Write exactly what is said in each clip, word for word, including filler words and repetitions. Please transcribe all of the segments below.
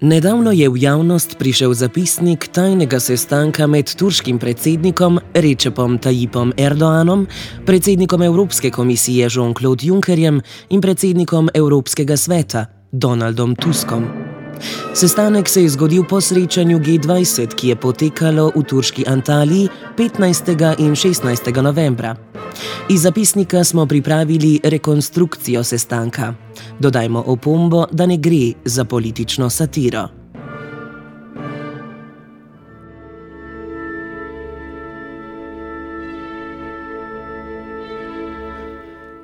Nedavno je v javnost prišel zapisnik tajnega sestanka med turškim predsednikom Recepom Tayyipom Erdoganom, predsednikom Evropske komisije Jean-Claude Junckerjem in predsednikom Evropskega sveta Donaldom Tuskom. Sestanek se je zgodil po srečanju G dvajset, ki je potekalo v turški Antaliji petnajstega in šestnajstega novembra. Iz zapisnika smo pripravili rekonstrukcijo sestanka. Dodajmo opombo, da ne gre za politično satiro.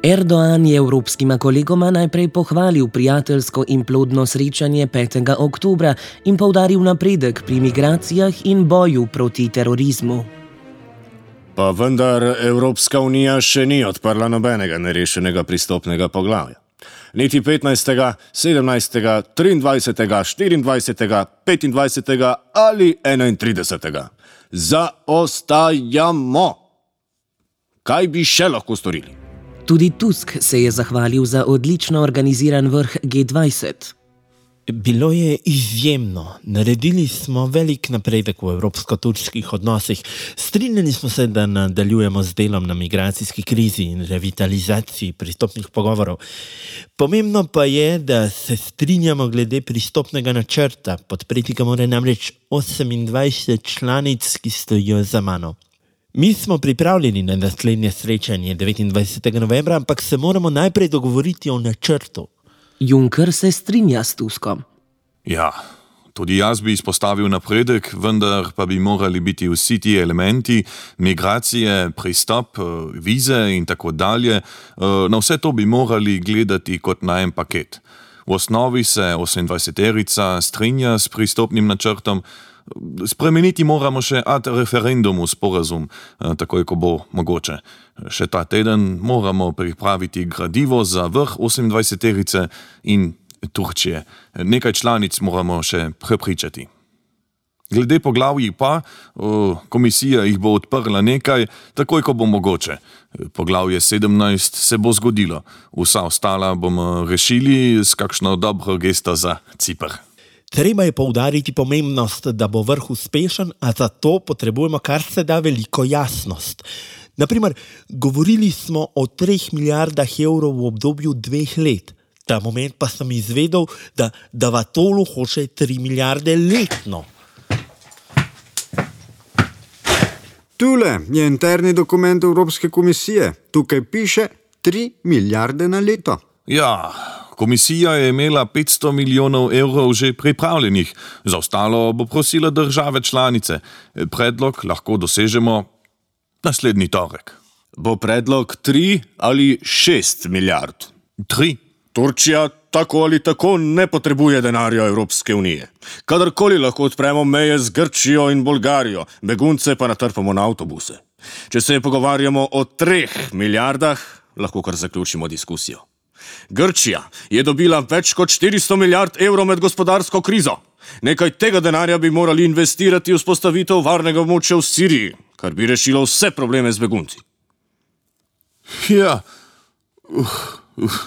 Erdogan je evropskima kolegoma najprej pohvalil prijateljsko in plodno srečanje petega oktobra in poudaril napredek pri migracijah in boju proti terorizmu. Pa vendar Evropska unija še ni odprla nobenega nerešenega pristopnega poglavja. Niti petnajstega, sedemnajstega, triindvajsetega, štiriindvajsetega, petindvajsetega ali enaintridesetega. Zaostajamo! Kaj bi še lahko storili? Tudi Tusk se je zahvalil za odlično organiziran vrh G dvajset. Bilo je izjemno. Naredili smo velik napredek v evropsko-turških odnosih. Strinjali smo se, da nadaljujemo z delom na migracijski krizi in revitalizaciji pristopnih pogovorov. Pomembno pa je, da se strinjamo glede pristopnega načrta. Podpreti ga mora namreč osemindvajset članic, ki stojijo za mano. Mi smo pripravljeni na naslednje srečanje devetindvajsetega novembra, ampak se moramo najprej dogovoriti o načrtu. Juncker se strinja s Tuskom. Ja, tudi jaz bi izpostavil napredek, vendar pa bi morali biti vsi ti elementi, migracije, pristop, vize in tako dalje, na vse to bi morali gledati kot na en paket. V osnovi se osemindvajseterica strinja s pristopnim načrtom, spremeniti moramo še ad referendumu sporazum, takoj ko bo mogoče. Še ta teden moramo pripraviti gradivo za vrh osemindvajseterice in Turčije. Nekaj članic moramo še prepričati. Glede poglavij pa, komisija jih bo odprla nekaj, takoj ko bo mogoče. Poglavje sedemnajst se bo zgodilo. Vsa ostala bomo rešili s kakšno dobro gesto za Ciper. Treba je poudariti pomembnost, da bo vrh uspešen, a za to potrebujemo kar se da veliko jasnost. Naprimer, govorili smo o treh milijardah evrov v obdobju dveh let. Ta moment pa sem izvedel, da Davatolu hoče tri milijarde letno. Tule je interni dokument Evropske komisije. Tukaj piše tri milijarde na leto. Ja, komisija je imela petsto milijonov evrov že pripravljenih. Za ostalo bo prosila države članice. Predlog lahko dosežemo naslednji torek. Bo predlog tri ali šest milijard? Tri. Turčija tako ali tako ne potrebuje denarja Evropske unije. Kadarkoli lahko odpremo meje z Grčijo in Bolgarijo, begunce pa natrpamo na avtobuse. Če se pogovarjamo o treh milijardah, lahko kar zaključimo diskusijo. Grčija je dobila več kot štiristo milijard evrov med gospodarsko krizo. Nekaj tega denarja bi morali investirati v vzpostavitev varnega območja v Siriji, kar bi rešilo vse probleme z begunci. Ja, uh, uh.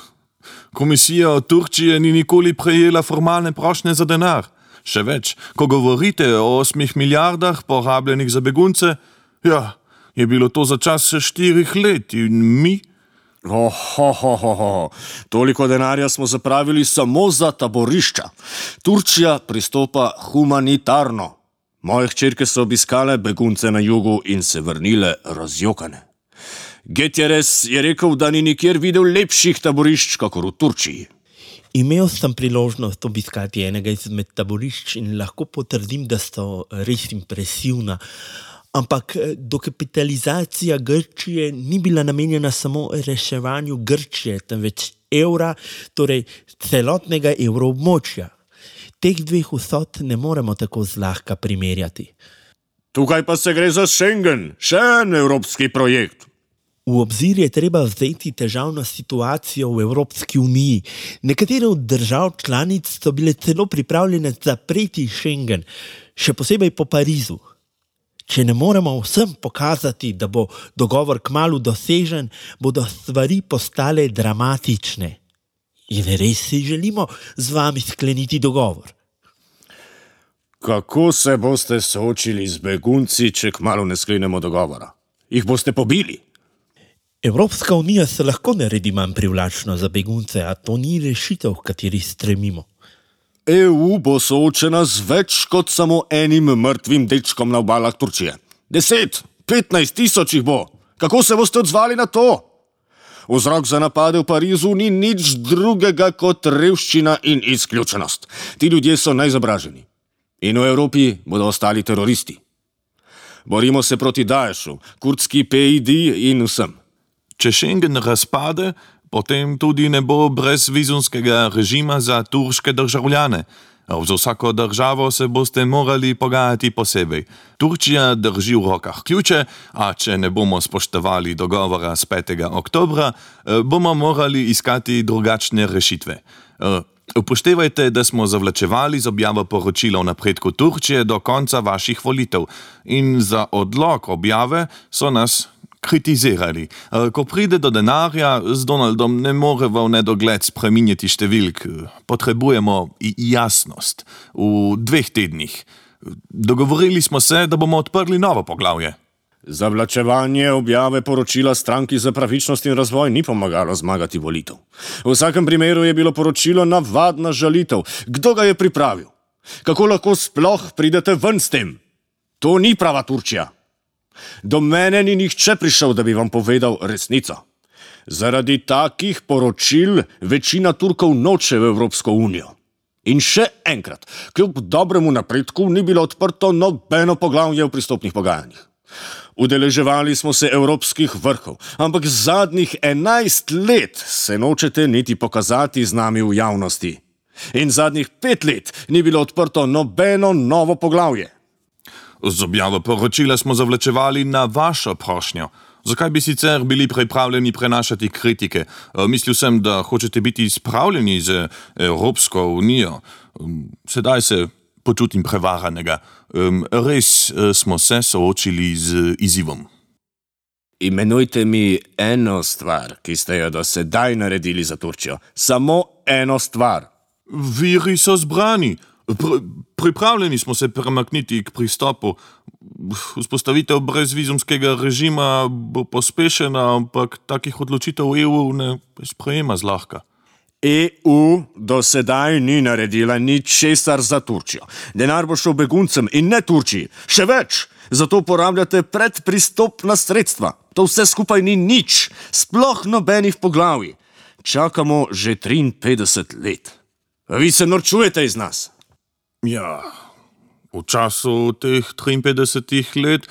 Komisija od Turčije ni nikoli prejela formalne prošnje za denar. Še več, ko govorite o osmih milijardah porabljenih za begunce, ja, je bilo to za čas štirih let in mi... Ohohoho, toliko denarja smo zapravili samo za taborišča. Turčija pristopa humanitarno. Moje hčerke so obiskale begunce na jugu in se vrnile razjokane. Gutierrez je rekel, da ni nikjer videl lepših taborišč, kakor v Turčiji. Imel sem priložnost obiskati enega izmed taborišč in lahko potrdim, da so res impresivna. Ampak dokapitalizacija Grčije ni bila namenjena samo reševanju Grčije, temveč evra, torej celotnega evroobmočja. Teh dveh vsot ne moremo tako zlahka primerjati. Tukaj pa se gre za Schengen, še en evropski projekt. V obzir je treba vzeti težavno situacijo v Evropski uniji. Nekatere od držav članic so bile celo pripravljene zapreti Schengen, še posebej po Parizu. Če ne moremo vsem pokazati, da bo dogovor kmalu dosežen, bodo stvari postale dramatične. In res si želimo z vami skleniti dogovor? Kako se boste soočili z begunci, če kmalu ne sklenemo dogovora? Jih boste pobili? Evropska unija se lahko naredi manj privlačna za begunce, a to ni rešitev, v kateri stremimo. E U bo soočena z več kot samo enim mrtvim dečkom na obalah Turčije. Deset, petnajst tisoč jih bo. Kako se boste odzvali na to? Vzrok za napade v Parizu ni nič drugega kot revščina in izključenost. Ti ljudje so neizobraženi. In v Evropi bodo ostali teroristi. Borimo se proti Daešu, kurdski P I D in vsem. Če Schengen razpade, potem tudi ne bo brezvizumskega režima za turške državljane. Za vsako državo se boste morali pogajati posebej. Turčija drži v rokah ključe, a če ne bomo spoštovali dogovora z petega oktobra, bomo morali iskati drugačne rešitve. Upoštevajte, da smo zavlačevali z objavo poročila o napredku Turčije do konca vaših volitev in za odlog objave so nas kritizirali. Ko pride do denarja, z Donaldom ne more v nedogled spreminjati številk. Potrebujemo jasnost. V dveh tednih. Dogovorili smo se, da bomo odprli novo poglavje. Zavlačevanje objave poročila Stranki za pravičnost in razvoj ni pomagalo zmagati volitev. V vsakem primeru je bilo poročilo navadna žalitev. Kdo ga je pripravil? Kako lahko sploh pridete ven s tem? To ni prava Turčija. Do mene ni nihče prišel, da bi vam povedal resnico. Zaradi takih poročil večina Turkov noče v Evropsko unijo. In še enkrat, kljub dobremu napredku ni bilo odprto nobeno poglavje v pristopnih pogajanjih. Udeleževali smo se evropskih vrhov, ampak zadnjih enajst let se nočete niti pokazati z nami v javnosti. In zadnjih pet let ni bilo odprto nobeno novo poglavje. Z objavo poročila smo zavlačevali na vašo prošnjo. Zakaj bi sicer bili pripravljeni prenašati kritike? Mislil sem, da hočete biti spravljeni z Evropsko unijo. Sedaj se počutim prevaranega. Res smo se soočili z izzivom. Imenujte mi eno stvar, ki ste jo do sedaj naredili za Turčijo. Samo eno stvar. Viri so zbrani. Pr pripravljeni smo se premakniti k pristopu. Vzpostavitev brezvizumskega režima bo pospešena, ampak takih odločitev E U ne sprejema zlahka. E U do sedaj ni naredila ničesar za Turčijo. Denar bo šel beguncem in ne Turčiji. Še več, zato porabljate predpristopna sredstva. To vse skupaj ni nič, sploh nobenih poglavij. Čakamo že triinpetdeset let. Vi se norčujete iz nas. Ja, v času teh triinpetdesetih let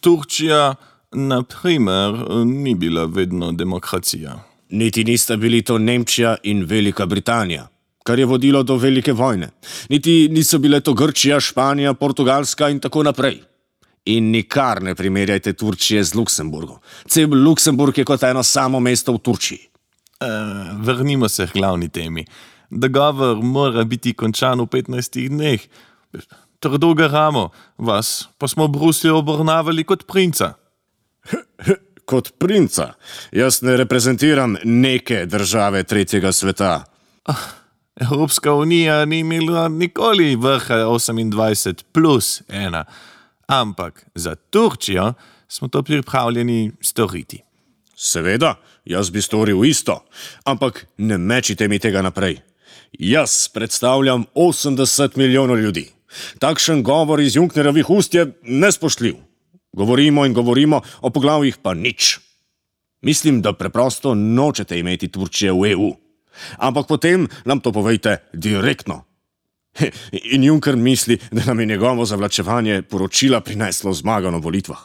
Turčija, na primer, ni bila vedno demokracija. Niti nista bili to Nemčija in Velika Britanija, kar je vodilo do velike vojne. Niti niso bile to Grčija, Španija, Portugalska in tako naprej. In nikar ne primerjajte Turčije z Luksemburgom. Cel Luksemburg je kot eno samo mesto v Turčiji. E, vrnimo se k glavni temi. Dogovor mora biti končan v petnajstih dneh. Trdo garamo, vas pa smo v Bruslju obravnavali kot princa. Kot princa? Jaz ne reprezentiram neke države tretjega sveta. Evropska unija ni imela nikoli vrha osemindvajset plus ena, ampak za Turčijo smo to pripravljeni storiti. Seveda, jaz bi storil isto, ampak ne mečite mi tega naprej. Jaz predstavljam osemdeset milijonov ljudi. Takšen govor iz Junckerjevih ust je nespoštljiv. Govorimo in govorimo, o poglavjih pa nič. Mislim, da preprosto nočete imeti Turčije v E U. Ampak potem nam to povejte direktno. In Juncker misli, da nam je njegovo zavlačevanje poročila prineslo zmago na volitvah.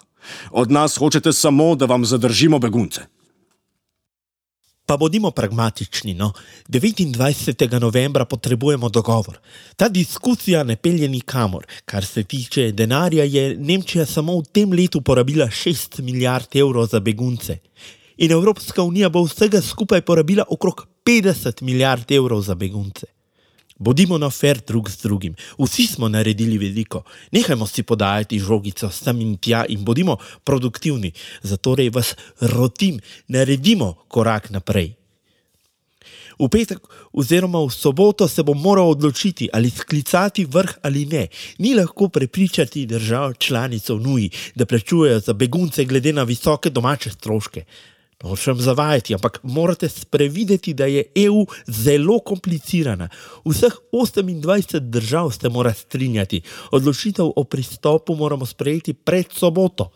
Od nas hočete samo, da vam zadržimo begunce. Pa bodimo pragmatični, no. devetindvajsetega novembra potrebujemo dogovor. Ta diskusija ne pelje nikamor. Kar se tiče denarja, je Nemčija samo v tem letu porabila šest milijard evrov za begunce. In Evropska unija bo vsega skupaj porabila okrog petdeset milijard evrov za begunce. Bodimo na fer drug z drugim. Vsi smo naredili veliko. Nehajmo si podajati žogico sem in tja in bodimo produktivni. Zatorej vas rotim, naredimo korak naprej. V petek oziroma v soboto se bo moral odločiti, ali sklicati vrh ali ne. Ni lahko prepričati držav članic v Uniji, da plačujejo za begunce glede na visoke domače stroške. Nočem zavajati, ampak morate sprevideti, da je E U zelo komplicirana. Vseh osemindvajset držav se mora strinjati. Odločitev o pristopu moramo sprejeti pred soboto.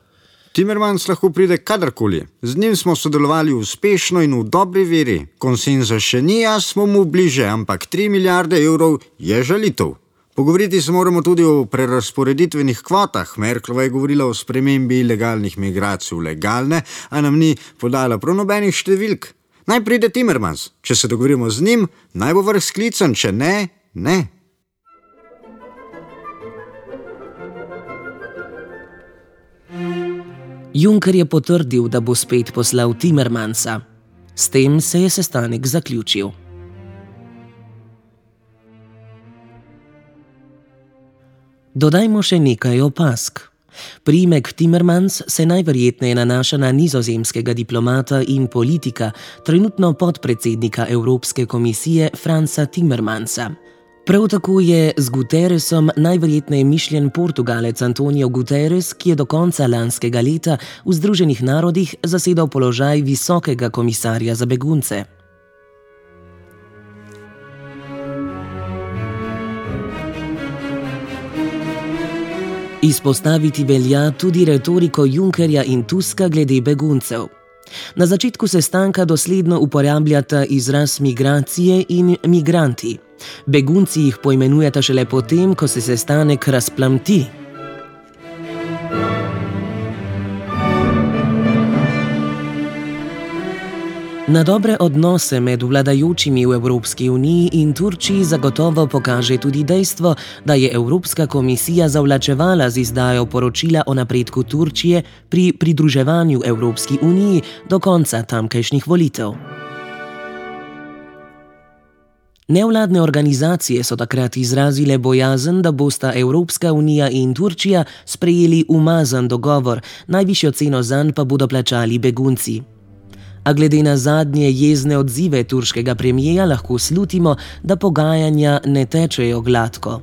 Timmermans lahko pride kadarkoli. Z njim smo sodelovali uspešno in v dobri veri. Konsenza še ni, a smo mu bliže, ampak tri milijarde evrov je žalitev. Pogovoriti se moramo tudi o prerasporeditvenih kvotah. Merklova je govorila o spremembi ilegalnih migracij v legalne, a nam ni podala prav nobenih številk. Naj pride Timmermans. Če se dogovorimo z njim, naj bo vrh sklican, če ne, ne. Juncker je potrdil, da bo spet poslal Timmermansa. S tem se je sestanek zaključil. Dodajmo še nekaj opazk. Priimek Timmermans se najverjetneje nanaša na nizozemskega diplomata in politika, trenutno podpredsednika Evropske komisije Fransa Timmermansa. Prav tako je z Guterresom najverjetneje mišljen Portugalec Antonio Guterres, ki je do konca lanskega leta v Združenih narodih zasedal položaj visokega komisarja za begunce. Izpostaviti velja tudi retoriko Junckerja in Tuska glede beguncev. Na začetku sestanka dosledno uporabljata izraz migracije in migranti. Begunci jih poimenujeta šele potem, ko se sestanek razplamti. Na dobre odnose med vladajočimi v Evropski uniji in Turčiji zagotovo pokaže tudi dejstvo, da je Evropska komisija zavlačevala z izdajo poročila o napredku Turčije pri pridruževanju Evropski uniji do konca tamkajšnjih volitev. Nevladne organizacije so takrat izrazile bojazen, da bosta Evropska unija in Turčija sprejeli umazan dogovor, najvišjo ceno zanj pa bodo plačali begunci. A glede na zadnje jezne odzive turškega premijeja lahko slutimo, da pogajanja ne tečejo gladko.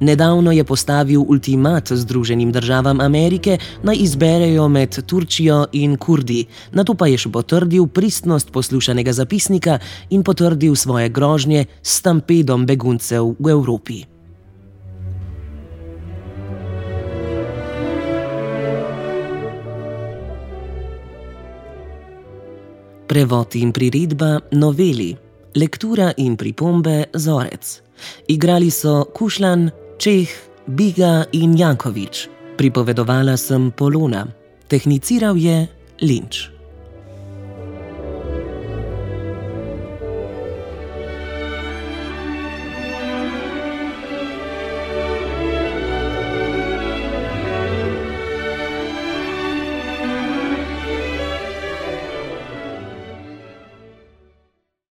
Nedavno je postavil ultimat Združenim državam Amerike, naj izberejo med Turčijo in Kurdi, nato pa je še potrdil pristnost poslušanega zapisnika in potrdil svoje grožnje s stampedom beguncev v Evropi. Prevod in priredba Noveli, lektura in pripombe Zorec. Igrali so Kušlan, Čeh, Biga in Jankovič. Pripovedovala sem Polona. Tehniciral je Linč.